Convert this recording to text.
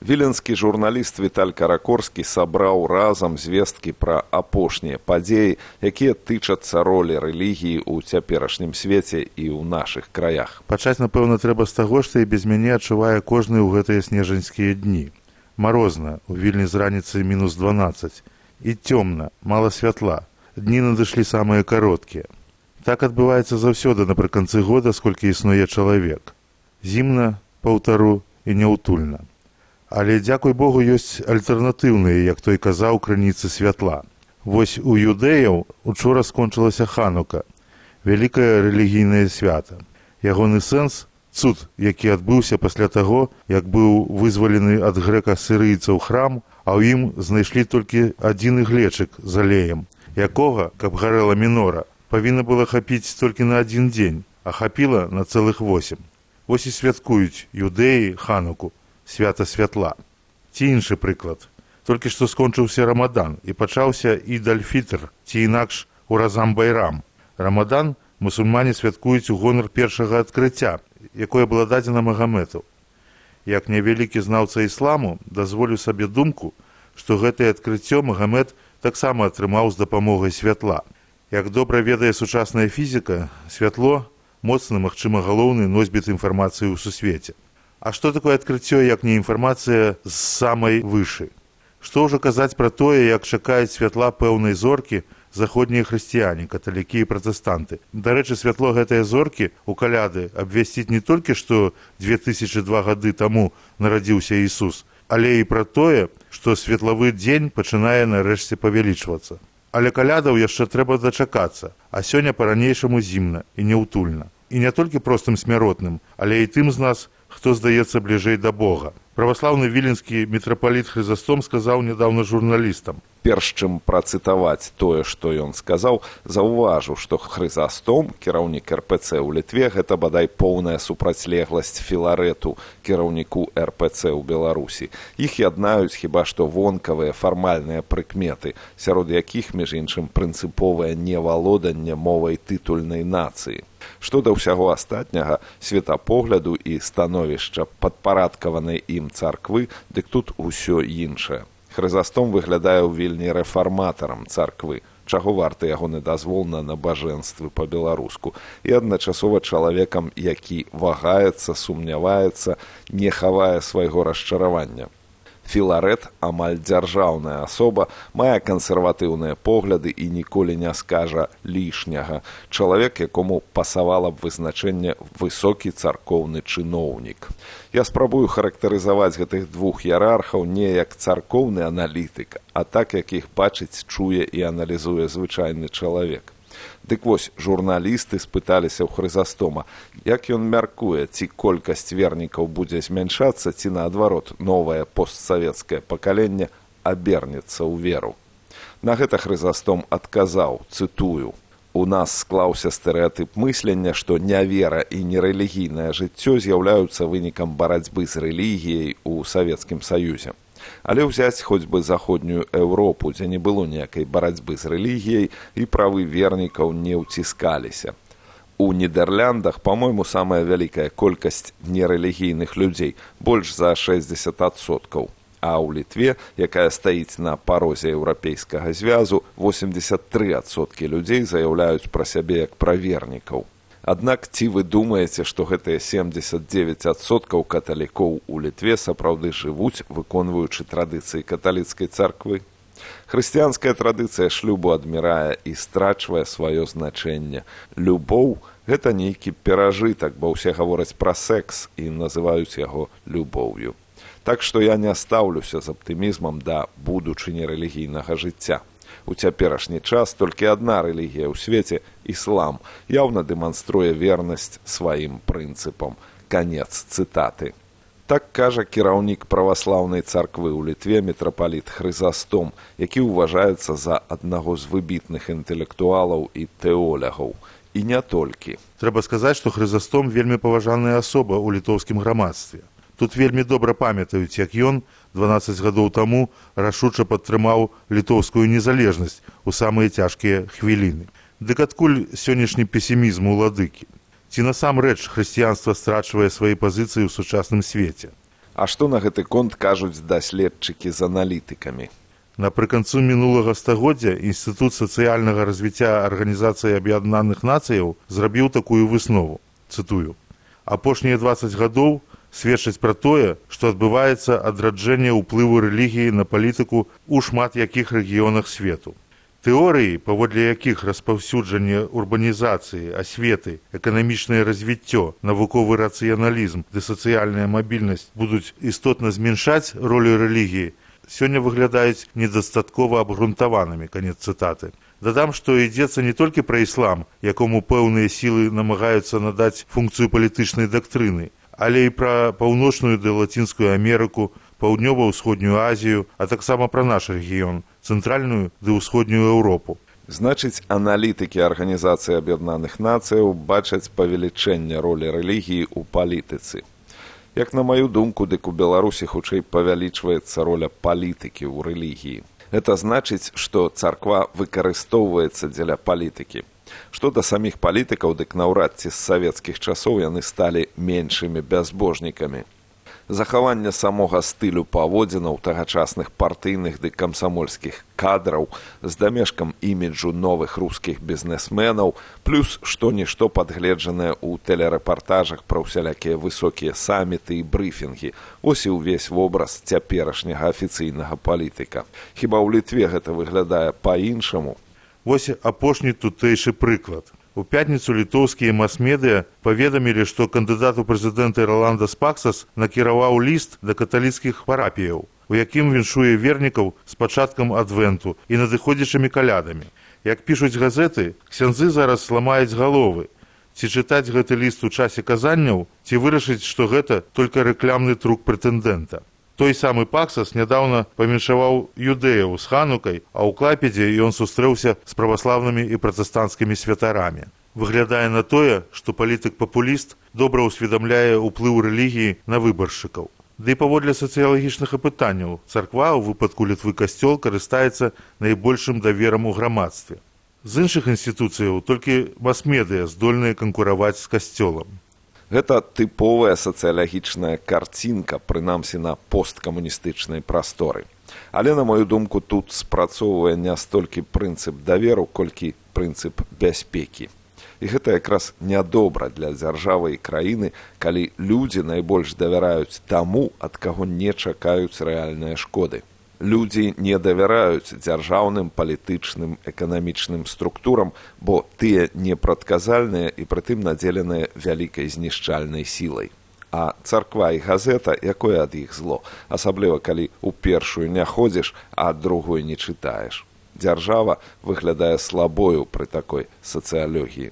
Віленскі журналіст Віталь Каракорскі сабраў разам звесткі пра апошнія падзеі, якія тычацца ролі рэлігіі ў цяперашнім свеце і ў нашых краях. Пачаць, напэўна, трэба з таго, што і без мяне адчувае кожны ў гэтыя снежаньскія дні. Марозна, у Вільні з раніцы -12. І цёмна, мала святла. Дні надышлі самыя кароткія. Так адбываецца заўсёды напрыканцы года, сколькі існуе чалавек. Зімна, паўтару і няўтульна. Але, дзякуй Богу, ёсць альтэрнатыўныя, як той казаў, крыніцы святла. Вось у юдэяў учора скончылася Ханука, вялікае рэлігійнае свята. Ягоны сэнс – цуд, які адбыўся пасля таго, як быў вызвалены ад грэка-сірыйцаў храм, а ў ім знайшлі толькі адзін іглечык з алеем, якога, каб гарэла мінора, павінна было хапіць толькі на адзін дзень, а хапіла на цэлых 8. Вось і святкуюць юдэі Хануку, свята святла. Ці іншы прыклад. Толькі што скончыўся Рамадан і пачаўся Ід-аль-Фітр, ці інакш Уразам-Байрам. Рамадан мусульмане святкуюць у гонар першага адкрыцця, якое было дадзена Магамэту. Як невялікі знаўца ісламу, дазволю сабе думку, што гэтае адкрыццё Магамэт таксама атрымаў з дапамогай святла. Як добра ведае сучасная фізіка, святло – моцны, магчыма, галоўны носьбіт інфармацыі ў сусвеце. А што такое адкрыццё, як не інфармацыя з самай вышы? Што ўжо казаць пра тое, як чакаюць святла пэўнай зоркі заходнія хрысціяне, каталікі і пратэстанты. Дарэчы, святло гэтыя зоркі ў каляды абвясціць не толькі, што 2002 гады таму нарадзіўся Ісус, але і пра тое, што светлавы дзень пачынае нарэшце павялічвацца. Але калядаў яшчэ трэба дачакацца, а сёння па-ранейшаму зімна і няўтульна. І не толькі простым смяротным, але і тым з нас, хто здаецца бліжэй да Бога. Праваслаўны віленскі мітрапаліт Хрызастом сказаў нядаўна журналістам. Перш чым працытаваць тое, што ён сказаў, заўважыў, што Хрызастом, кіраўнік РПЦ ў Літве, гэта бадай поўная супрацьлегласць Філарэту, кіраўніку РПЦ ў Беларусі. Іх яднаюць хіба што вонкавыя фармальныя прыкметы, сярод якіх, між іншым, прынцыповае невалоданне мовай тытульнай нацыі. Што да ўсяго астатняга, светапогляду і становішча падпарадкаванай ім царквы, дык тут усё іншае. Хрызастом выглядае ў Вільні рэфарматарам царквы, чаго варты ягоны дазвол на набажэнствы па-беларуску, і адначасова чалавекам, які вагаецца, сумняваецца, не хавае свайго расчаравання. Філарэт, амаль дзяржаўная асоба, мае кансерватыўныя погляды і ніколі не скажа лішняга. Чалавек, якому пасавала б вызначэнне высокі царкоўны чыноўнік. Я спрабую характарызаваць гэтых двух іерархаў не як царкоўны аналітык, а так, як іх бачыць, чуе і аналізуе звычайны чалавек. Дык вось, журналісты спыталіся ў Хрызастома, як ён мяркуе, ці колькасць вернікаў будзе змяншацца, ці наадварот, новае постсавецкае пакаленне абернецца ў веру. На гэта Хрызастом адказаў, цытую: «У нас склаўся стэрэатып мыслення, што нявера і нерэлігійнае жыццё з'яўляюцца вынікам барацьбы з рэлігіяй у Савецкім Саюзе. Але ўзяць хоць бы заходнюю Еўропу, дзе не было ніякай барацьбы з рэлігіяй і правы вернікаў не ўціскаліся. У Нідэрляндах, па-мойму, самая вялікая колькасць нерэлігійных людзей, больш за 60%. А ў Літве, якая стаіць на парозе Еўрапейскага звязу, 83% людзей заяўляюць пра сябе як пра вернікаў. Аднак ці вы думаеце, што гэтыя 79% каталікоў у Літве сапраўды жывуць, выконваючы традыцыі каталіцкай царквы? Хрысціянская традыцыя шлюбу адмірае і страчвае сваё значэнне. Любоў – гэта нейкі перажытак, бо ўсе гавораць пра секс і называюць яго любоўю. Так што я не стаўлюся з аптымізмам да будучыні рэлігійнага жыцця. У цяперашні час толькі адна рэлігія ў свеце – іслам, яўна дэманструе вернасць сваім прынцыпам. Канец цытаты. Так кажа кіраўнік праваслаўнай царквы ў Літве мітрапаліт Хрызастом, які ўважаецца за аднаго з выбітных інтэлектуалаў і тэолягаў. І не толькі. Трэба сказаць, што Хрызастом вельмі паважаная асоба ў літоўскім грамадстве. Тут вельмі добра памятаюць, як ён 12 гадоў таму рашуча падтрымаў літоўскую незалежнасць у самыя цяжкія хвіліны. Дык адкуль сённяшні песімізм уладыкі? Ці насамрэч хрысціянства страчвае свае пазіцыі ў сучасным свеце? А што на гэты конт кажуць даследчыкі з аналітыкамі? Напрыканцу мінулага стагоддзя Інстытут сацыяльнага развіцця Арганізацыі Аб'яднаных Нацыяў зрабіў такую выснову, цытую: «Апошнія 20 гадоў сведчаць пра тое, што адбываецца адраджэнне ўплыву рэлігіі на палітыку ў шмат якіх рэгіёнах свету. Тэорыі, паводле якіх распаўсюджанне урбанізацыі, асветы, эканамічнае развіццё, навуковы рацыяналізм ды сацыяльная мабільнасць будуць істотна зменшаць ролю рэлігіі, сёння выглядаюць недастаткова абгрунтаванымі». Канец цытаты. Дадам, што ідзецца не толькі пра іслам, якому пэўныя сілы намагаюцца надаць функцыю палітычнай дактрыны, але і пра паўночную ды лацінскую Амерыку, паўднёва-ўсходнюю Азію, а таксама пра наш рэгіён, цэнтральную ды ўсходнюю Еўропу. Значыць, аналітыкі Арганізацыі Аб'яднаных Нацыяў бачаць павелічэнне ролі рэлігіі ў палітыцы. Як на маю думку, дык у Беларусі хутчэй павялічваецца роля палітыкі ў рэлігіі. Гэта значыць, што царква выкарыстоўваецца дзеля палітыкі. Што да саміх палітыкаў, дык наўрад ці з савецкіх часоў яны сталі меншымі бязбожнікамі. Захаванне самога стылю паводзінаў тагачасных партыйных ды камсамольскіх кадраў з дамешкам іміджу новых рускіх бізнесменаў, плюс што-нішто падгледжанае ў тэлерэпартажах пра ўсялякія высокія саміты і брыфінгі. Ось і ўвесь вобраз цяперашняга афіцыйнага палітыка. Хіба ў Літве гэта выглядае па-іншаму? Вось апошні тутэйшы прыклад. У пятніцу літоўскія мас-медыя паведамілі, што кандыдат у прэзідэнты Роландас Паксас накіраваў ліст да каталіцкіх парапіяў, у якім віншуе вернікаў з пачаткам адвенту і надыходзячымі калядамі. Як пішуць газеты, ксяндзы зараз ламаюць галовы. Ці чытаць гэты ліст у часе казанняў, ці вырашыць, што гэта толькі рэклямны трук прэтэндэнта. Той самы Паксас нядаўна памяншаваў юдэяў з ханукай, а ў Клайпедзе ён сустрэўся з праваслаўнымі і пратэстанцкімі святарамі. Выглядае на тое, што палітык-папуліст добра ўсведамляе ўплыў рэлігіі на выбаршчыкаў. Ды і паводле сацыялагічных апытанняў, царква, у выпадку Літвы касцёл, карыстаецца найбольшым даверам у грамадстве. З іншых інстытуцыяў толькі мас-медыя здольныя канкураваць з касцёлам. Гэта тыповая сацыялагічная карцінка, прынамсі на посткамуністычнай прасторы. Але, на мою думку, тут спрацоўвае не столькі прынцып даверу, колькі прынцып бяспекі. І гэта якраз нядобра для дзяржавы і краіны, калі людзі найбольш давяраюць таму, ад каго не чакаюць рэальныя шкоды. Людзі не давяраюць дзяржаўным, палітычным, эканамічным структурам, бо тыя непрадказальныя і прытым надзеленыя вялікай знішчальнай сілай. А царква і газета, якое ад іх зло, асабліва калі ў першую не ходзіш, а другую не чытаеш. Дзяржава выглядае слабою пры такой сацыялогіі.